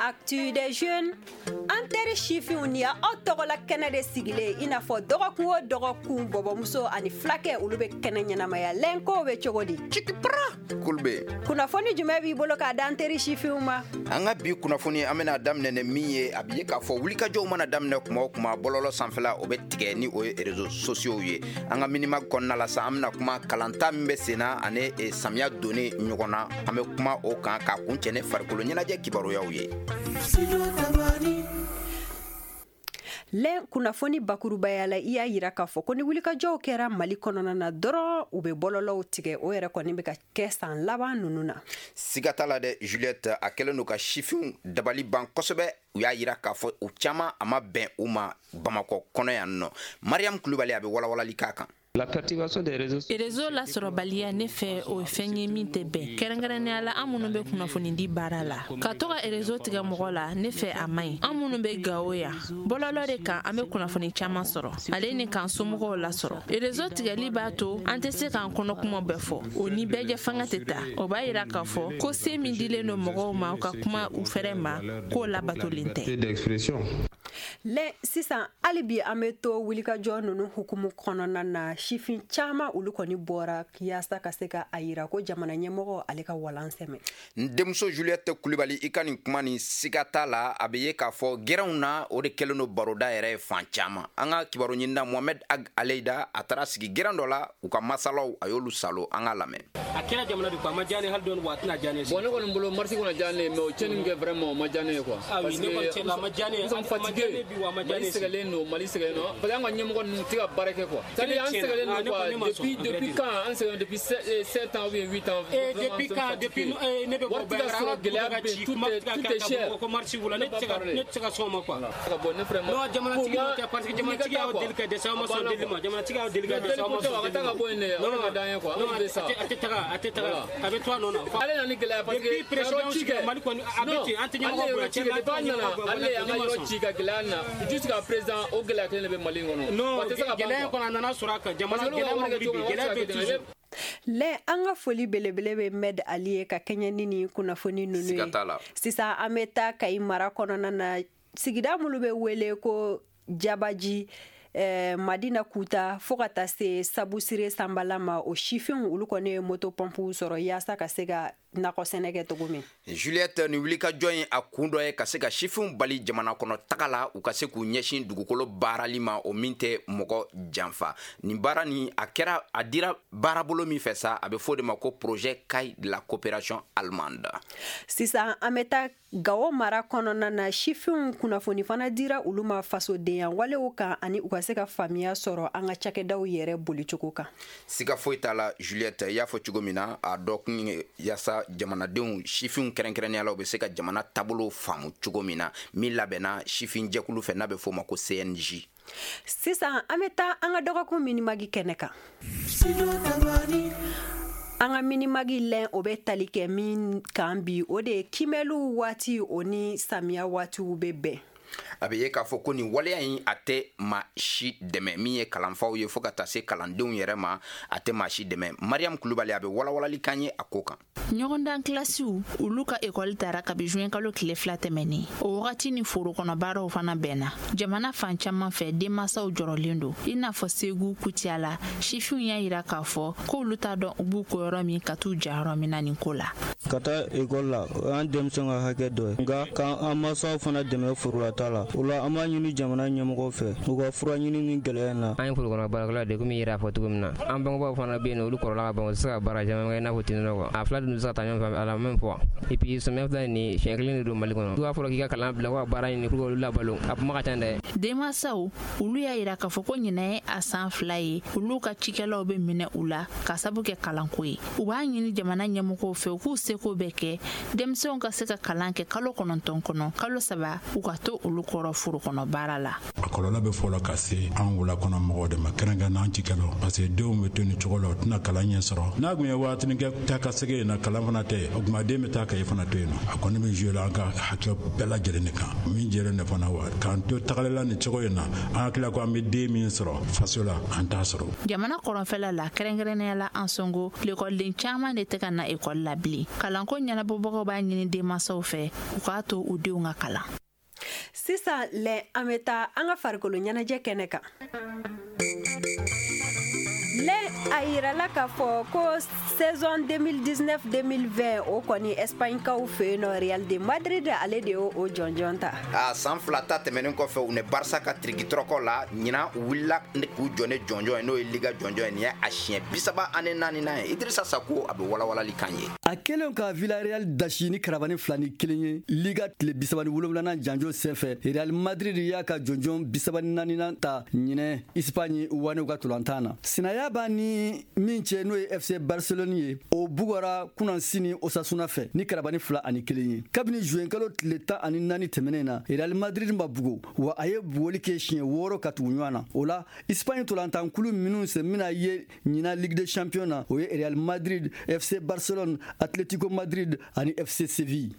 Actu des jeunes. An teri sifinw, ni y'aw tɔgɔla kɛnɛ de sigilen, i n'a fɔ dɔgɔkun o dɔgɔkun, bɔbɔmuso ani fulakɛ, olu bɛ kɛnɛ ɲɛnamaya. Lɛnkow bɛ cogo di? Cikipara Kulube. Kunnafoni jumɛn b'i bolo k'a d'an teri sifinw ma? An ka bi kunnafoni, an bɛna daminɛ ni min ye, a bɛ ye k'a fɔ wulikajɔw mana daminɛ kuma o kuma, bɔlɔlɔ sanfɛla o bɛ tigɛ, ni o ye réseaux sociaux ye. An ka minima kɔnɔna la sa, an bɛna kuma kalanta min bɛ sen na ani samiya donni ɲɔgɔn na, an bɛ kuma o kan k'a kuncɛ ni farikolo ɲɛnajɛ kibaruyaw ye. Lɛn, kunnafoni bakurubaya la, i y'a yira k'a fɔ ko ni wulikajɔw kɛra Mali kɔnɔna na dɔrɔn, u bɛ bɔlɔlɔw tigɛ. O yɛrɛ kɔni bɛ ka kɛ san laban ninnu na. Siga t'a la dɛ, Juliette, a kɛlen don ka sifinw dabali ban kosɛbɛ. U y'a yira k'a fɔ u caman, a ma bɛn u ma Bamakɔ kɔnɔ yan nɔ. Mariam Kulubali, a bɛ walawalali k'a kan. La perturbation des réseaux. Réseau lasɔrɔbaliya, ne fɛ, o ye fɛn ye min tɛ bɛn, kɛrɛnkɛrɛnnenya la an minnu bɛ kunnafoni di baara la. Ka to ka réseau tigɛ mɔgɔ la, ne fɛ, a man ɲi. An minnu bɛ Gawo yan, bɔlɔlɔ de kan an bɛ kunnafoni caman sɔrɔ, ale ni k'an somɔgɔw lasɔrɔ. Réseau tigɛli b'a to an tɛ se k'an kɔnɔ kuma bɛɛ fɔ. O ni bɛɛjɛ fanga tɛ taa. O b'a yira k'a fɔ ko se min dilen don mɔgɔw ma u ka kuma u fɛrɛ ma, k'o labatolen tɛ. D'expression. Lɛ, sisan hali bi an bɛ to wulikajɔ ninnu hukumu kɔnɔna na. Sifin caman, olu kɔni bɔra yaasa ka se ka a yira ko jamana ɲɛmɔgɔ, ale ka walan sɛmɛ. N denmuso Juliette Kulibali, i ka nin kuma nin, siga t'a la, a bɛ ye k'a fɔ gɛrɛnw na, o de kɛlen don baroda yɛrɛ ye fan caman. An ka kibaru ɲinina Mohamed Ag Aleyida, a taara sigi gɛrɛn dɔ la, u ka masalaw, a y'olu salo. An k'a lamɛn. A kɛra jamana de ko, a ma diya ne hali dɔɔni wa, a tɛna diya ne. Bon, ne kɔni bolo, marche kɔni diya ne ye, mais o tiɲɛni min kɛ, vraiment, o ma diya ne ye quoi. Ah oui, ne kɔni tiɲɛ la, a ma diya ne ye. Nous sommes fatigués. Bi wa, a ma diya ne Mali sɛgɛnlen don, Mali sɛgɛnlen don, parce que an ka ɲɛmɔgɔ ninnu tɛ ka baara kɛ quoi. C'est à dire, an sɛgɛnlen don quoi. Depuis quand an sɛgɛnlen? Depuis 7 ans ou bien 8 ans. Eh, depuis quand? Depuis ne bɛ bɔ. Wari tɛ ka sɔrɔ, gɛlɛya bɛ yen, tout est cher. Ko marche wula, ne tɛ se ka sɔn o ma quoi. Ka bɔ ne vraiment. Non, jamanatigi tɛ, parce que jamanatigi y'aw deli ka dɛsɛ, aw ma sɔn deli ma. Jamanatigi y'aw deli ka dɛsɛ, aw ma sɔn deli ma. A ka taa ka bɔ yen dɛ, o de ka d'an ye quoi. Non, a tɛ taga, a tɛ taga, a bɛ to a nɔ na. Ale nana ni gɛlɛya, parce que depuis président ci kɛ Mali kɔni, a bɛ ten, an tɛ ɲɛmɔgɔ bonya. Cɛ, depuis a nana, ale y'an ka yɔrɔ ci ka gɛlɛya na jusqu'à présent, o gɛlɛya kelen de bɛ Mali kɔnɔ. Non, gɛlɛya kɔni, a nana sɔrɔ a kan. Jamana gɛlɛya ma wuli bi, gɛlɛya bɛ toujours. Lɛ, an ka foli belebele bɛ Mɛd Ali ye ka kɛɲɛ ni nin kunnafoni ninnu ye. Sisan an bɛ taa Kayi mara kɔnɔna na, sigida minnu bɛ wele ko Jabaji, Madina Kuta, fo ka taa se Sabusire Sanbala ma, o sifinw, olu kɔni ye moto pɔnpuw sɔrɔ yaasa ka se ka nakɔ sɛnɛ kɛ cogo min. Juliette, nin wulikajɔ in, a kun dɔ ye ka se ka sifinw bali jamana kɔnɔ taga la, u ka se k'u ɲɛsin dugukolo baarali ma, o min tɛ mɔgɔ janfa. Nin baara nin, a kɛra, a dira baarabolo min fɛ sa, a bɛ fɔ o de ma ko projet CAI de la coopération allemande. Sisan an bɛ taa Gawo mara kɔnɔna na. Sifinw, kunnafoni fana dira olu ma fasodenya walew kan, ani u ka se ka faamuya sɔrɔ an ka cakɛdaw yɛrɛ bolicogo kan. Siga foyi t'a la, Juliette, i y'a fɔ cogo min na, a dɔ kun ye yaasa jamanadenw, sifinw kɛrɛnkɛrɛnnenya la, u bɛ se ka jamana taabolo faamu cogo min na, min labɛnna sifin jɛkulu fɛ n'a bɛ f'o ma ko CNJ. Sisan an bɛ taa an ka dɔgɔkun minimagi kɛnɛ kan. An ka minimagi lɛn, o bɛ tali kɛ min kan bi, o de ye kimɛliw waati, o ni samiya waatiw bɛ bɛn. A bɛ ye k'a fɔ ko nin waleya in, a tɛ maa si dɛmɛ, min ye kalanfaw ye fo ka taa se kalandenw yɛrɛ ma, a tɛ maa si dɛmɛ. Mariam Kulubali, a bɛ walawalali kan ye a ko kan. Ɲɔgɔndan kilasiw, olu ka ekɔli tara kabi juin kalo tile 2 tɛmɛnen. O wagati ni foro kɔnɔ baaraw fana bɛnna. Jamana fan caman fɛ, denmansaw jɔrɔlen don, i n'a fɔ Segu Kutiyala, sifinw y'a yira k'a fɔ k'olu t'a dɔn u b'u ko yɔrɔ min ka t'u ja yɔrɔ min na nin ko la. Ka taa ekɔli la, o y'an denmisɛnw ka hakɛ dɔ ye, nka k'an mansaw fana dɛmɛ forolata la. O la, an b'a ɲini jamana ɲɛmɔgɔw fɛ, u ka fura ɲini ni gɛlɛya in na. An ye forokɔnɔ baarakɛlaw de, komi i yɛrɛ y'a fɔ cogo min na. An bangebaaw fana bɛ yen nɔ, olu kɔrɔla ka ban, u tɛ se ka baara caman kɛ i n'a fɔ tinɔ quoi. A fila dun tɛ se ka taa ɲɔgɔn fɛ à la même fois. Et puis samiya filɛ nin, siɲɛ kelen de don Mali kɔnɔ. N'a fɔra k'i ka kalan bila ko ka baara ɲini pour que olu labalo, a kuma ka ca dɛ. Denmansaw, olu y'a yira k'a fɔ ko ɲinɛ ye a san 2 ye, olu ka cikɛlaw bɛ minɛ u la ka sabu kɛ kalanko ye. U b'a ɲini jamana ɲɛmɔgɔw fɛ, u k'u seko bɛɛ kɛ denmisɛnw ka se ka kalan kɛ kalo 9 kɔnɔ, kalo 3 u ka to. olu kɔrɔ foro kɔnɔ baara la. A kɔlɔlɔ bɛ fɔlɔ ka se an wula kɔnɔ mɔgɔw de ma, kɛrɛnkɛrɛn n'an cikɛlaw, parce que denw bɛ to nin cogo la, u tɛna kalan ɲɛ sɔrɔ. N'a tun ye waatinin kɛ taa ka segin yen na, kalan fana tɛ, o tuma den bɛ taa kaye fana to yen nɔ. A kɔni bɛ jouer la an ka hakɛ bɛɛ lajɛlen de kan, min jɛlen de fana wa k'an to tagalila nin cogo in na, an hakili la ko an bɛ den min sɔrɔ faso la, an t'a sɔrɔ. Jamana kɔrɔnfɛla la, kɛrɛnkɛrɛnnenya la Ansongo, lekɔliden caman de tɛ ka na ekɔli la bilen. Kalanko ɲɛnabɔbagaw b'a ɲini denmansaw fɛ u k'a to u denw ka kalan. Sisan lɛ, an bɛ taa an ka farikolo ɲɛnajɛ kɛnɛ kan. Lɛ, a yirala k'a fɔ ko saison 2019-2020, o kɔni, Espagne kaw fɛ yen nɔ, Real de Madrid, ale de y'o o jɔnjɔn ta. A san 2 ta tɛmɛnen kɔfɛ, u ni Barça ka tirikitɔrɔkɔ la, ɲinan u wulila k'u jɔ ni jɔnjɔn ye, n'o ye Liga jɔnjɔn ye. Nin ye a siɲɛ 34nan ye. Idrissa Sako, a bɛ walawalali kan ye. A kɛlen ka Villarreal dasi ni karabani 2-1 ye Liga tile 37nan janjo senfɛ, Real Madrid y'a ka jɔnjɔn 34nan ta ɲinɛ Espagne wanew ka tolantan na. Sinaya b'a ni min cɛ, n'o ye FC Barcelone ye, o bugɔra kunan sini Osasuna fɛ ni karabani 2-1 ye. Kabini juin kalo tile 14 tɛmɛnen na, Real Madrid ma bugo wa, a ye bugoli kɛ siɲɛ 6 ka tugu ɲɔgɔn na. O la, Espagne tolantankulu minnu sen bɛna ye ɲinan Ligue des Champions na, o ye Real Madrid, FC Barcelone, Atlético Madrid ani FC Séville.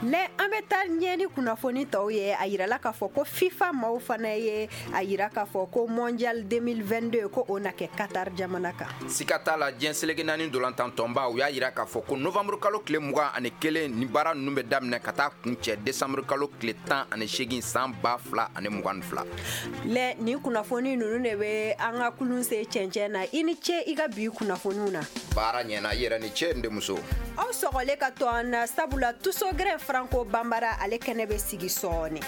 Lɛ, an bɛ taa ɲɛ ni kunnafoni tɔw ye. A yirala k'a fɔ ko FIFA maaw fana ye a yira k'a fɔ ko Mondial 2022, ko o na kɛ Qatar jamana kan. Sika t'a la, diɲɛ seleke naani tɔnba, u y'a yira k'a fɔ ko novembre kalo tile 21 ni baara ninnu bɛ daminɛ ka taa kun cɛ décembre kalo tile 18 san 2022. Lɛ, nin kunnafoni ninnu de bɛ an ka kulun se cɛncɛn na. I ni ce i ka bi kunnafoniw na. Baara ɲɛna, i yɛrɛ ni ce, n denmuso. Aw sɔgɔlen ka to an na, sabula Tusogɛrɛ Franco Banbara, ale kɛnɛ bɛ sigi sɔɔni.